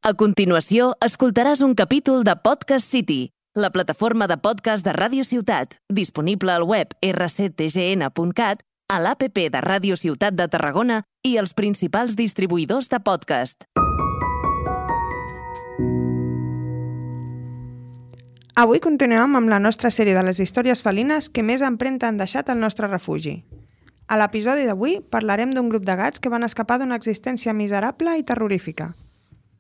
A continuació, escoltaràs un capítol de Podcast City, la plataforma de podcast de Ràdio Ciutat, disponible al web rctgn.cat, a l'APP de Ràdio Ciutat de Tarragona i els principals distribuïdors de podcast. Avui continuem amb la nostra sèrie de les històries felines que més empremta han deixat al nostre refugi. A l'episodi d'avui parlarem d'un grup de gats que van escapar d'una existència miserable i terrorífica.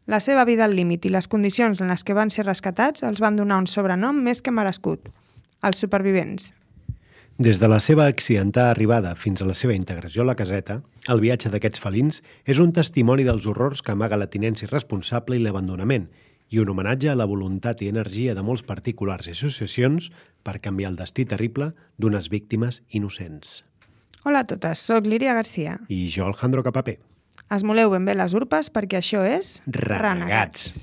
La seva vida al límit i les condicions en les que van ser rescatats els van donar un sobrenom més que merescut: els supervivents. Des de la seva accidentada arribada fins a la seva integració a la caseta, el viatge d'aquests felins és un testimoni dels horrors que amaga la tinença irresponsable i l'abandonament, i un homenatge a la voluntat i energia de molts particulars i associacions per canviar el destí terrible d'unes víctimes innocents. Hola a totes, soc Líria Garcia. I jo, Alejandro Capapé. Esmoleu ben bé les urpes perquè això és... Renegats.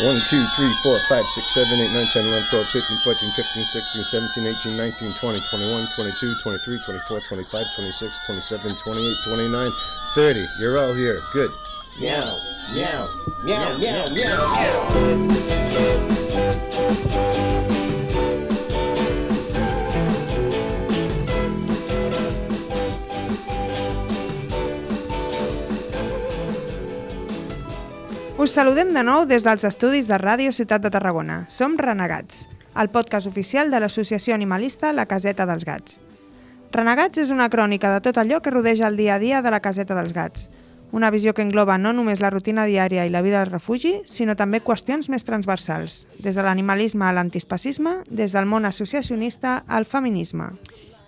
1, 2, 3, 4, 5, 6, 7, 8, 9, 10, 11, 12, 13, 14, 15, 16, 17, 18, 19, 20, 21, 22, 23, 24, 25, 26, 27, 28, 29, 30. You're all here. Good. Meow, meow, meow, meow, meow, meow. Us saludem de nou des dels estudis de Ràdio Ciutat de Tarragona. Som Renegats, el podcast oficial de l'associació animalista La Caseta dels Gats. Renegats és una crònica de tot allò que rodeja el dia a dia de la Caseta dels Gats. Una visió que engloba no només la rutina diària i la vida al refugi, sinó també qüestions més transversals, des de l'animalisme a l'antiespecisme, des del món associacionista al feminisme.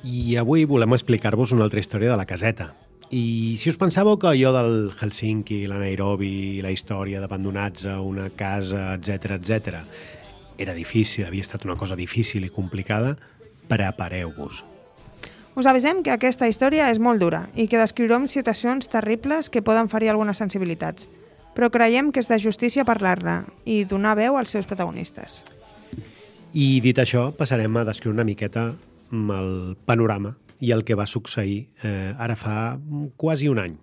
I avui volem explicar-vos una altra història de la caseta. I si us pensàveu que allò del Helsinki, la Nairobi, la història d'abandonats a una casa, etc, era difícil, havia estat una cosa difícil i complicada, prepareu-vos. Us avisem que aquesta història és molt dura i que descriurem situacions terribles que poden ferir algunes sensibilitats, però creiem que és de justícia parlar-ne i donar veu als seus protagonistes. I dit això, passarem a descriure una miqueta el panorama i el que va succeir ara fa quasi un any.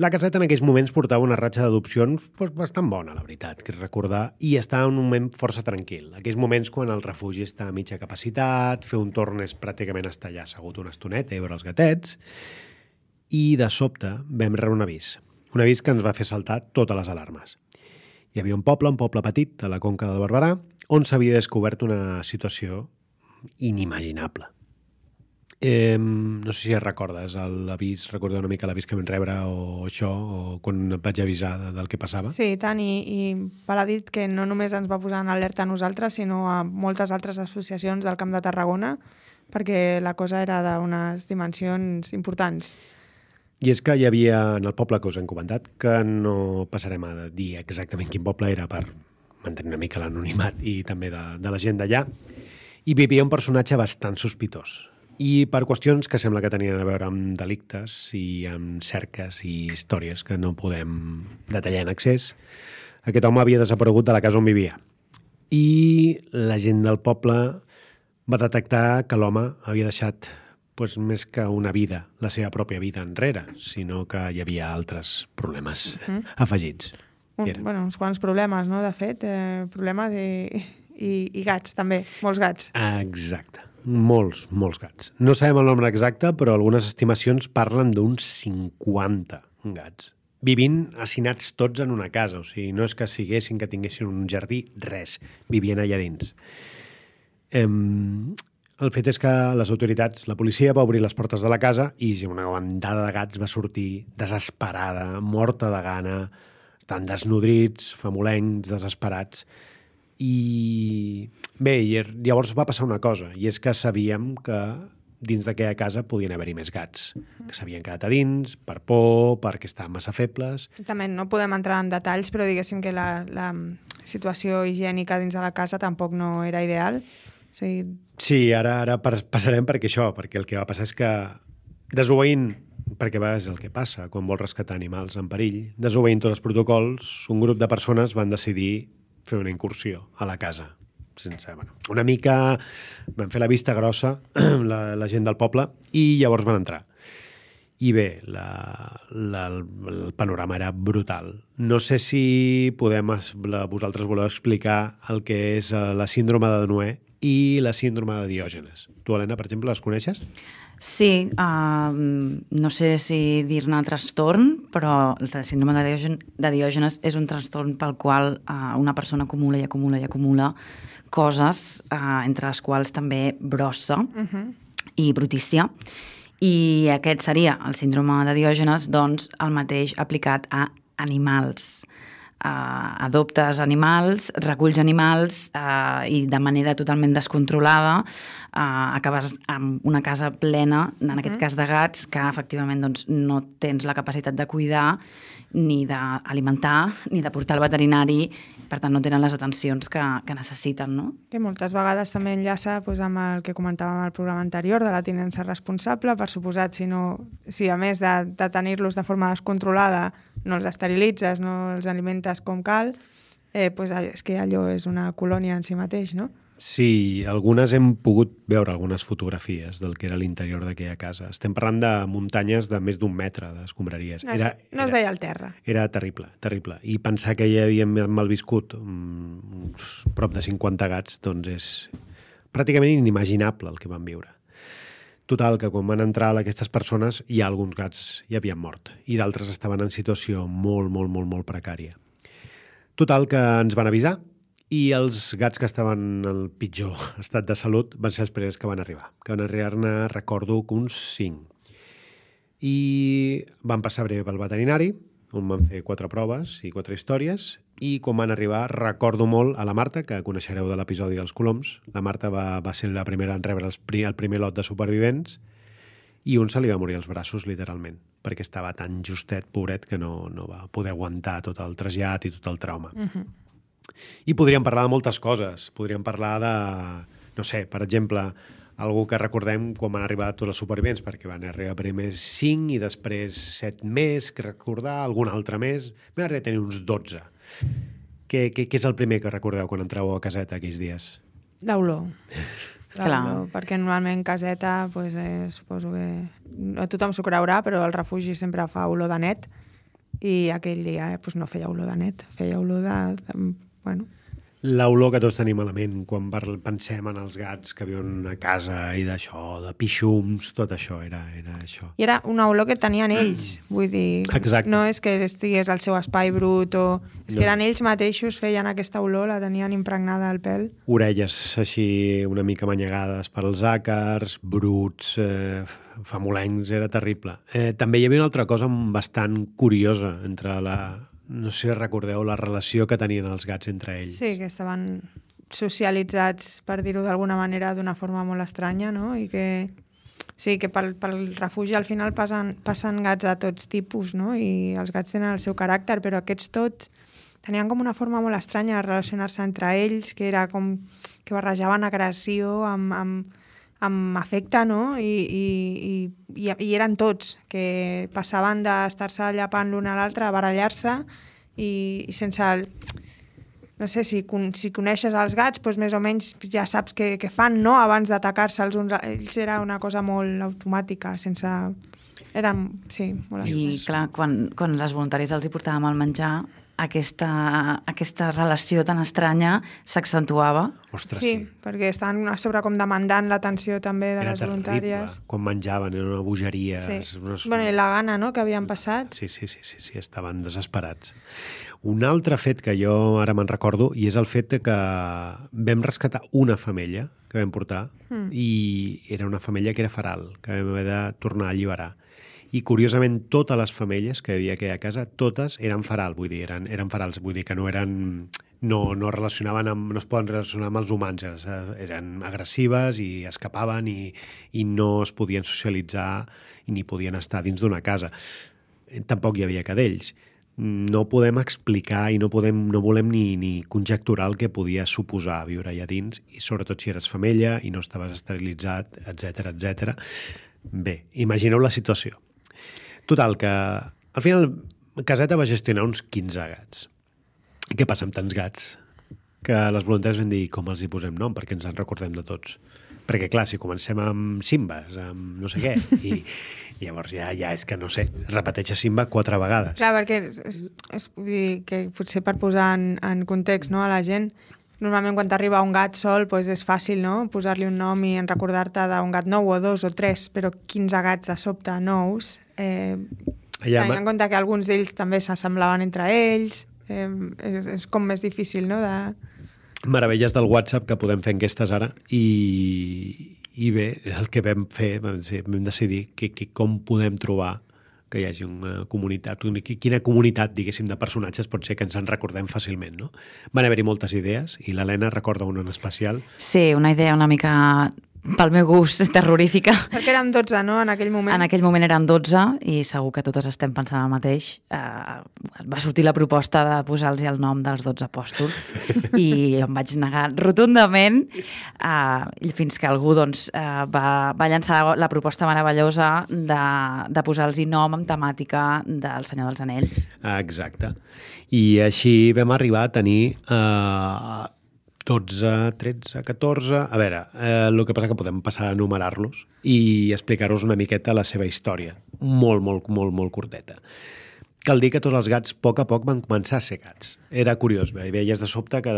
La caseta en aquells moments portava una ratxa d'adopcions bastant bona, la veritat, que és recordar, i estava en un moment força tranquil. Aquells moments quan el refugi està a mitja capacitat, fer un torn és pràcticament estar allà assegut una estoneta i veure els gatets, i de sobte vam rebre un avís que ens va fer saltar totes les alarmes. Hi havia un poble petit, a la Conca del Barberà, on s'havia descobert una situació inimaginable. No sé si recordes l'avís, recorda una mica l'avís que vam rebre o això, o quan et vaig avisar del que passava? Sí, tant, i val a dir que no només ens va posar en alerta a nosaltres, sinó a moltes altres associacions del Camp de Tarragona, perquè la cosa era d'unes dimensions importants. I és que hi havia, en el poble que us hem comentat, que no passarem a dir exactament quin poble era per mantenir una mica l'anonimat i també de la gent d'allà, i vivia un personatge bastant sospitós. I per qüestions que sembla que tenien a veure amb delictes i amb cerques i històries que no podem detallar en excés, aquest home havia desaparegut de la casa on vivia. I la gent del poble va detectar que l'home havia deixat més que una vida, la seva pròpia vida enrere, sinó que hi havia altres problemes afegits. Uns quants problemes, no? De fet, problemes i gats, també, molts gats. Exacte. Molts gats. No sabem el nombre exacte, però algunes estimacions parlen d'uns 50 gats. Vivint hacinats tots en una casa, o sigui, no és que que tinguessin un jardí, res, vivien allà dins. El fet és que les autoritats, la policia va obrir les portes de la casa i una bandada de gats va sortir desesperada, morta de gana, estan desnodrits, famolencs, desesperats. I bé, llavors va passar una cosa, i és que sabíem que dins d'aquella casa podien haver-hi més gats, que s'havien quedat a dins per por, perquè estaven massa febles. També no podem entrar en detalls, però diguéssim que la situació higiènica dins de la casa tampoc no era ideal. Sí, ara passarem perquè el que va passar és que desobeint, perquè és el que passa quan vols rescatar animals en perill, desobeint tots els protocols, un grup de persones van decidir fer una incursió a la casa. Una mica van fer la vista grossa la gent del poble i llavors van entrar. I bé, el panorama era brutal. No sé si vosaltres voleu explicar el que és la síndrome de Noè i la síndrome de Diògenes. Tu, Helena, per exemple, les coneixes? Sí, no sé si dir-ne trastorn, però la síndrome de Diògenes és un trastorn pel qual una persona acumula i acumula i acumula coses, entre les quals també brossa i brutícia. I aquest seria el síndrome de Diògenes, doncs el mateix aplicat a animals. Adoptes animals, reculls animals i de manera totalment descontrolada acabes amb una casa plena, en aquest cas de gats, que efectivament doncs, no tens la capacitat de cuidar, ni d'alimentar, ni de portar al veterinari, per tant no tenen les atencions que necessiten, no? Que moltes vegades també enllaça amb el que comentàvem al programa anterior de la tinença responsable, per suposat, si a més de tenir-los de forma descontrolada no els esterilitzes, no els alimentes com cal, és que allò és una colònia en si mateix, no? Sí, algunes hem pogut veure algunes fotografies del que era l'interior d'aquella casa. Estem parlant de muntanyes de més d'1 metre d'escombraries. No es veia al terra. Era terrible, terrible. I pensar que hi havia malviscut prop de 50 gats, doncs és pràcticament inimaginable el que van viure. Total, que quan van entrar aquestes persones, hi ha alguns gats ja havien mort i d'altres estaven en situació molt, molt, molt, molt precària. Total, que ens van avisar i els gats que estaven en el pitjor estat de salut van ser els primers que van arribar. Que van arribar-ne, recordo, que uns 5. I van passar breu pel veterinari, on van fer 4 proves i 4 històries, i quan van arribar recordo molt a la Marta, que coneixereu de l'episodi dels coloms. La Marta va ser la primera en rebre el primer lot de supervivents i un se li va morir als braços, literalment, perquè estava tan justet, pobret, que no va poder aguantar tot el trasllat i tot el trauma. I podríem parlar de moltes coses. Podríem parlar de, no sé, per exemple, algú que recordem quan van arribar tots els supervivents, perquè van arribar primer 5 i després 7 més, que recordar, algun altre més. Vam arribar a tenir uns 12. Què és el primer que recordeu quan entreu a caseta aquells dies? L'olor. Clar. Perquè normalment caseta, suposo que no tothom s'ho creurà, però el refugi sempre fa olor de net i aquell dia no feia olor de net, feia olor de L'olor que tots tenim a la ment quan pensem en els gats que viuen a casa i d'això, de pixums, tot això era això. I era una olor que tenien ells, vull dir, exacte. No és que estigués al seu espai brut és que eren ells mateixos, feien aquesta olor, la tenien impregnada al pèl. Orelles així una mica manyegades per als àcars, bruts, famolencs, era terrible. També hi havia una altra cosa bastant curiosa entre no sé si recordeu la relació que tenien els gats entre ells. Sí, que estaven socialitzats, per dir-ho d'alguna manera, d'una forma molt estranya, no? I que pel refugi al final passen gats de tots tipus, no? I els gats tenen el seu caràcter, però aquests tots tenien com una forma molt estranya de relacionar-se entre ells, que era com que barrejaven agressió amb afecte, no? I eren tots, que passaven d'estar-se llapant l'un a l'altre a barallar-se i sense no sé, si coneixes els gats, doncs més o menys ja saps què fan, no? Abans d'atacar-se els uns. Ells era una cosa molt automàtica, sense... Eren, sí, molt I clar, quan les voluntàries els hi portàvem el menjar, aquesta relació tan estranya s'accentuava. Ostres, sí, perquè estaven a sobre com demandant l'atenció també de les voluntàries. Era terrible, quan menjaven, era una bogeria. Sí. I la gana, no?, que havien passat. Sí, estaven desesperats. Un altre fet que jo ara me'n recordo, i és el fet que vam rescatar una femella que vam portar, i era una femella que era feral, que vam haver de tornar a alliberar. I curiosament totes les femelles que hi havia aquí a casa, totes eren feral, vull dir, eren ferals, vull dir que no es poden relacionar amb els humans, eren agressives i escapaven i no es podien socialitzar ni podien estar dins d'una casa. Tampoc hi havia cadells. No podem explicar i no volem ni conjecturar el que podia suposar viure allà dins, i sobretot si eres femella i no estaves esterilitzat, etc. Bé, imagineu la situació. Total, que al final Caseta va gestionar uns 15 gats. I què passa amb tants gats? Que les voluntaris van dir com els hi posem nom, perquè ens en recordem de tots. Perquè, clar, si comencem amb Simbas, amb no sé què, i llavors ja és que, no sé, repeteix Simba 4 vegades. Clar, perquè vull dir que potser per posar en context, no, a la gent, normalment quan t'arriba un gat sol doncs és fàcil, no?, posar-li un nom i recordar-te d'un gat nou o 2 o 3, però 15 gats de sobte nous, tenint en compte que alguns d'ells també s'assemblaven entre ells, és com més difícil, no?, Meravelles del WhatsApp, que podem fer enquestes ara, i bé, el que vam fer, vam decidir com podem trobar que hi hagi una comunitat, quina comunitat, diguéssim, de personatges pot ser que ens en recordem fàcilment, no? Van haver-hi moltes idees, i l'Helena recorda una en especial. Sí, una idea una mica, pel meu gust, terrorífica. Perquè érem 12, no?, en aquell moment. En aquell moment eren 12, i segur que totes estem pensant el mateix. Va sortir la proposta de posar-los el nom dels 12 apòstols, i em vaig negar rotundament, fins que algú doncs, va llançar la proposta meravellosa de posar-los nom amb temàtica del Senyor dels Anells. Exacte. I així vam arribar a tenir 12, 13, 14... A veure, el que passa que podem passar a enumerar-los i explicar-vos una miqueta la seva història. Molt, molt, molt, molt curteta. Cal dir que tots els gats, a poc, van començar a ser gats. Era curiós, veies de sobte que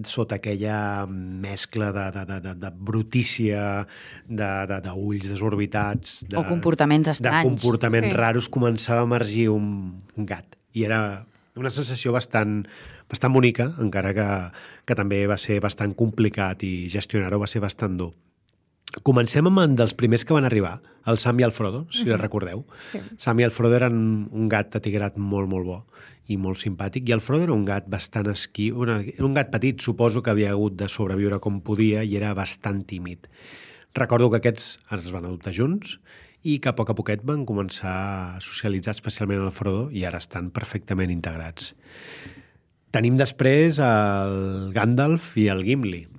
sota aquella mescla de brutícia, d'ulls desorbitats... O comportaments estranys. De comportaments raros, començava a emergir un gat. I era una sensació bastant bonica, encara que també va ser bastant complicat i gestionar-ho va ser bastant dur. Comencem amb un dels primers que van arribar, el Sam i el Frodo, si recordeu. Sí. Sam i el Frodo eren un gat atigrat molt, molt bo i molt simpàtic, i el Frodo era un gat bastant esquiu, un gat petit, suposo que havia hagut de sobreviure com podia i era bastant tímid. Recordo que aquests es van adoptar junts i que a poquet van començar a socialitzar, especialment el Frodo, i ara estan perfectament integrats. Tenim després el Gandalf i el Gimli.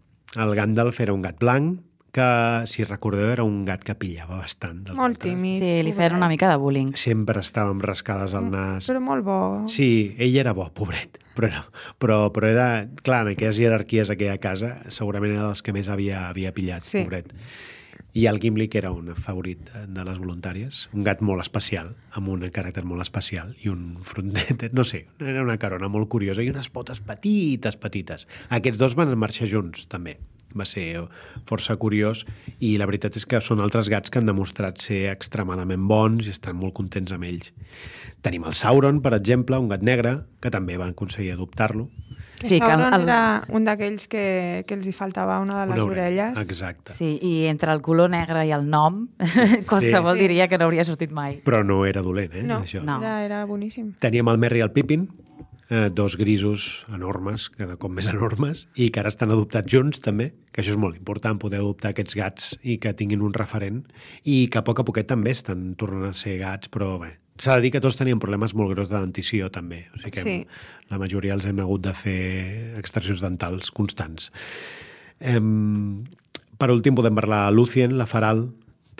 El Gandalf era un gat blanc, que, si recordeu, era un gat que pillava bastant. Molt tímid. Sí, li feien una mica de bullying. Sempre estava amb rascades al nas. Però molt bo. Sí, ell era bo, pobret. Però era, clar, en aquelles jerarquies a aquella casa, segurament era dels que més havia pillat, sí. Pobret. I el Gimli, que era un favorit de les voluntàries, un gat molt especial, amb un caràcter molt especial, i un frontet, no sé, era una carona molt curiosa, i unes potes petites. Aquests dos van marxar junts, també. Va ser força curiós, i la veritat és que són altres gats que han demostrat ser extremadament bons i estan molt contents amb ells. Tenim el Sauron, per exemple, un gat negre, que també van aconseguir adoptar-lo. Sí, Sauron era un d'aquells que els hi faltava una de les orelles. Exacte. Sí, i entre el color negre i el nom, qualsevol diria que no hauria sortit mai. Però no era dolent, No, això. era boníssim. Teníem el Merry i el Pippin, dos grisos enormes, cada cop més enormes, i que ara estan adoptats junts també, que això és molt important, poder adoptar aquests gats i que tinguin un referent, i que a poquet també estan tornant a ser gats, però bé, s'ha de dir que tots tenien problemes molt greus de dentició també, o sigui que la majoria els hem hagut de fer extraccions dentals constants. Per últim podem parlar de Lucien, la Faral,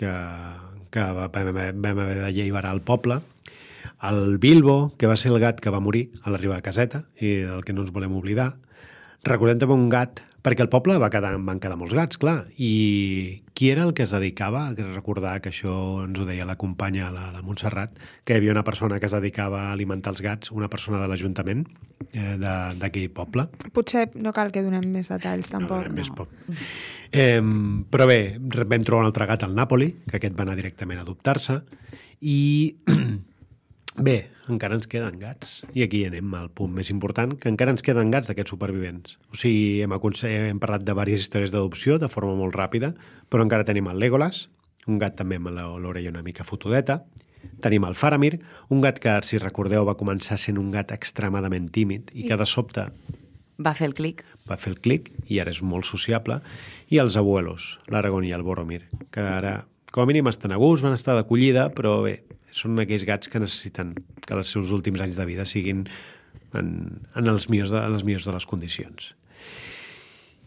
que vam haver d'alliberar el poble, el Bilbo, que va ser el gat que va morir a l'arribar a caseta i del que no ens volem oblidar. Recordem també un gat, perquè al poble van quedar molts gats, clar, i qui era el que es dedicava a recordar, que això ens ho deia la companya, la Montserrat, que hi havia una persona que es dedicava a alimentar els gats, una persona de l'Ajuntament d'aquell poble. Potser no cal que donem més detalls, tampoc. No. Més poc. Però bé, vam trobar un altre gat al Nàpoli, que aquest va anar directament a adoptar-se, i bé, encara ens queden gats. I aquí anem al punt més important, que encara ens queden gats d'aquests supervivents. O sigui, hem parlat de diverses històries d'adopció de forma molt ràpida, però encara tenim el Legolas, un gat també amb l'orella una mica fotudeta. Tenim el Faramir, un gat que, si recordeu, va començar sent un gat extremadament tímid i que de sobte va fer el clic. Va fer el clic i ara és molt sociable. I els abuelos, l'Aragorn i el Boromir, que ara, com a mínim, estan a gust, van estar d'acollida, però bé, són aquells gats que necessiten que els seus últims anys de vida siguin en les millors de les condicions.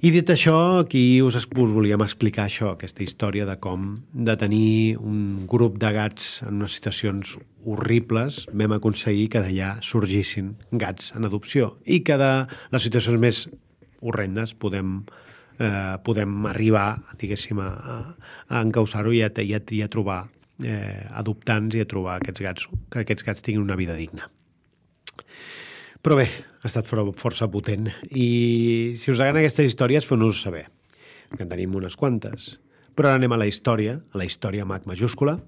I dit això, aquí us volíem explicar això, aquesta història de com de tenir un grup de gats en unes situacions horribles vam aconseguir que d'allà sorgissin gats en adopció i que de les situacions més horrendes podem podem arribar, diguéssim, a encausar-ho i a trobar adoptants i a trobar que aquests gats tinguin una vida digna. Però bé, ha estat força potent. I si us agraden aquestes històries, feu-nos saber, que en tenim unes quantes. Però ara anem a la història amb H majúscula.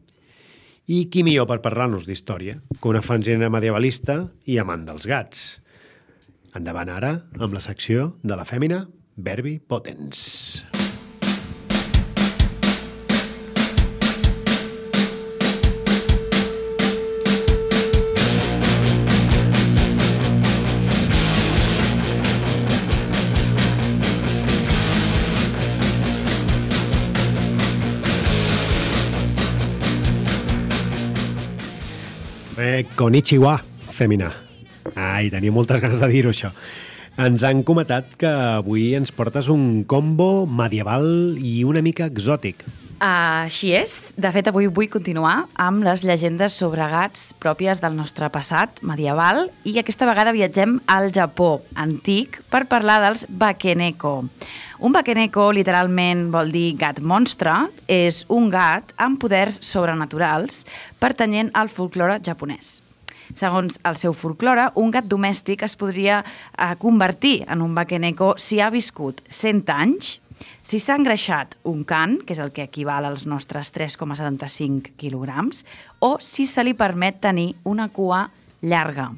I qui millor per parlar-nos d'història que una fanzina medievalista i amant dels gats. Endavant ara amb la secció de la fèmina Verbi Potens. Konnichiwa, fèmina. Ai, tenia moltes ganes de dir-ho, això. Ens han comentat que avui ens portes un combo medieval i una mica exòtic. Així és. De fet, avui vull continuar amb les llegendes sobre gats pròpies del nostre passat medieval i aquesta vegada viatgem al Japó antic per parlar dels Bakeneko. Un Bakeneko literalment vol dir gat monstre, és un gat amb poders sobrenaturals pertanyent al folklore japonès. Segons el seu folklore, un gat domèstic es podria convertir en un Bakeneko si ha viscut 100 anys, si s'ha engreixat un can, que és el que equival als nostres 3,75 quilograms, o si se li permet tenir una cua llarga.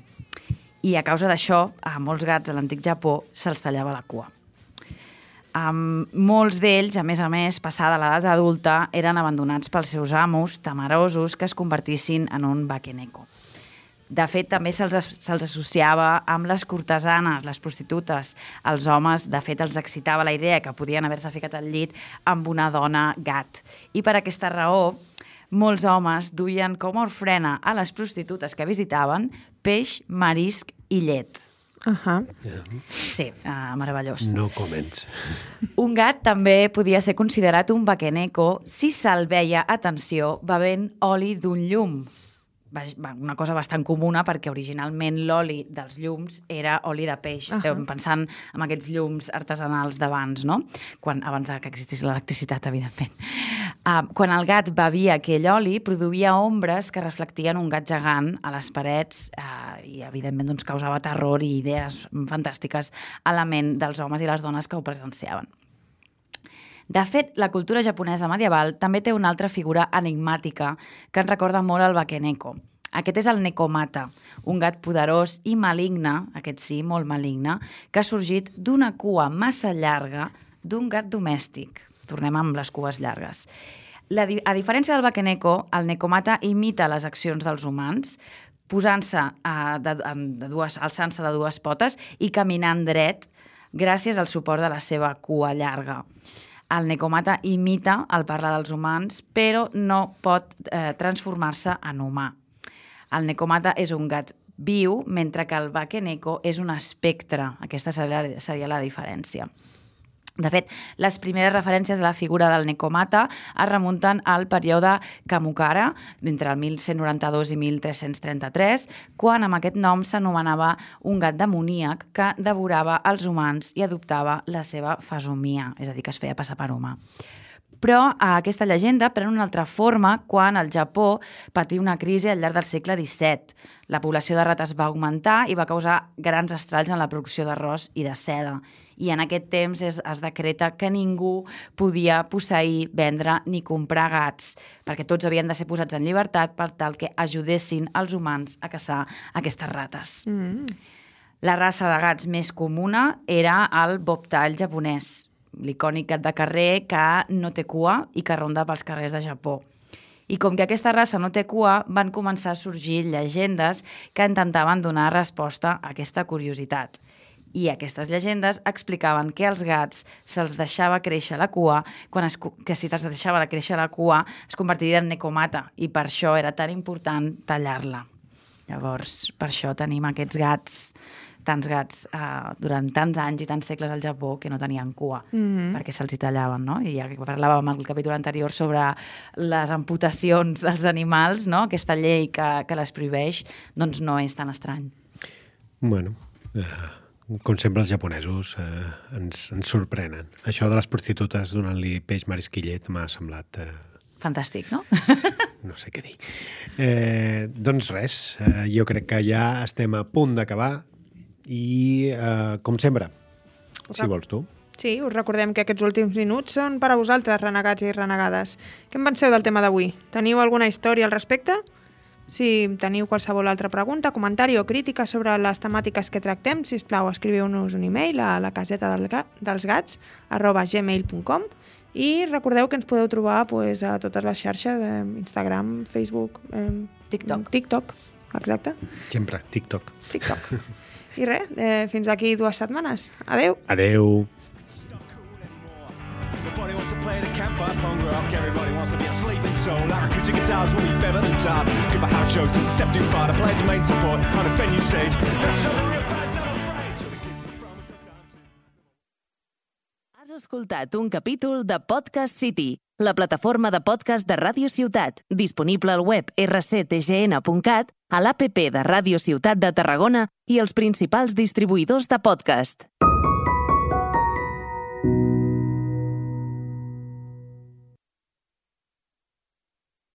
I a causa d'això, a molts gats a l'antic Japó se'ls tallava la cua. Molts d'ells, a més, passada l'edat adulta, eren abandonats pels seus amos, temerosos que es convertissin en un Bakeneko. De fet, també se'ls associava amb les cortesanes, les prostitutes. Els homes, de fet, els excitava la idea que podien haver-se ficat al llit amb una dona gat. I per aquesta raó, molts homes duien com a ofrena a les prostitutes que visitaven peix, marisc i llet. Sí, meravellós. No comments. Un gat també podia ser considerat un Bakeneko si se'l veia, atenció, bevent oli d'un llum. Una cosa bastant comuna perquè originalment l'oli dels llums era oli de peix. Estem pensant en aquests llums artesanals d'abans, no? Abans que existís l'electricitat, evidentment. Quan el gat bevia aquell oli, produïa ombres que reflectien un gat gegant a les parets i, evidentment, doncs, causava terror i idees fantàstiques a la ment dels homes i les dones que ho presenciaven. De fet, la cultura japonesa medieval també té una altra figura enigmàtica que ens recorda molt al Bakeneko. Aquest és el Nekomata, un gat poderós i maligne, aquest sí, molt maligne, que ha sorgit d'una cua massa llarga d'un gat domèstic. Tornem amb les cues llargues. A diferència del Bakeneko, el Nekomata imita les accions dels humans, posant-se alçant-se de dues potes i caminant dret gràcies al suport de la seva cua llarga. El Nekomata imita el parlar dels humans, però no pot transformar-se en humà. El Nekomata és un gat viu, mentre que el Bakeneko és un espectre. Aquesta seria la diferència. De fet, les primeres referències a la figura del Nekomata es remunten al període Kamukara, entre el 1192 i 1333, quan amb aquest nom s'anomenava un gat demoníac que devorava els humans i adoptava la seva fesomia, és a dir, que es feia passar per humà. Però aquesta llegenda pren una altra forma quan el Japó patí una crisi al llarg del segle XVII. La població de rates va augmentar i va causar grans estralls en la producció d'arròs i de seda. I en aquest temps es decreta que ningú podia posseir, vendre ni comprar gats, perquè tots havien de ser posats en llibertat per tal que ajudessin els humans a caçar aquestes rates. La raça de gats més comuna era el bobtail japonès, l'icònic gat de carrer que no té cua i que ronda pels carrers de Japó. I com que aquesta raça no té cua, van començar a sorgir llegendes que intentaven donar resposta a aquesta curiositat. I aquestes llegendes explicaven que als gats se'ls deixava créixer la cua, que si se'ls deixava créixer la cua es convertiria en Nekomata, i per això era tan important tallar-la. Llavors, per això tenim aquests gats, tants gats durant tants anys i tants segles al Japó que no tenien cua, perquè se'ls hi tallaven, no? I ja que parlàvem al capítol anterior sobre les amputacions dels animals, no? Aquesta llei que les prohibeix, doncs no és tan estrany. Bueno, com sempre, els japonesos ens sorprenen. Això de les prostitutes donant-li peix, marisc i llet m'ha semblat... Fantàstic, no? No sé què dir. Doncs res, jo crec que ja estem a punt d'acabar i, com sempre, si vols tu. Sí, us recordem que aquests últims minuts són per a vosaltres, renegats i renegades. Què en penseu del tema d'avui? Teniu alguna història al respecte? Si teniu qualsevol altra pregunta, comentari o crítica sobre les temàtiques que tractem, sisplau, escriviu-nos un e-mail a lacasetaDelsGats@gmail.com i recordeu que ens podeu trobar a totes les xarxes, Instagram, Facebook, TikTok, exacte. Sempre, TikTok. I res, fins aquí 2 setmanes. Adeu. Adeu. Everybody wants to play the campfire punk rock. Everybody wants to be a sleeping soul. Like acoustic guitars will be better than top. Give a house show to the step too far. The players are main support on a venue stage. Has escoltat un capítol de Podcast City, la plataforma de podcast de Ràdio Ciutat, disponible al web rctgn.cat, a l'APP de Ràdio Ciutat de Tarragona i els principals distribuïdors de podcast.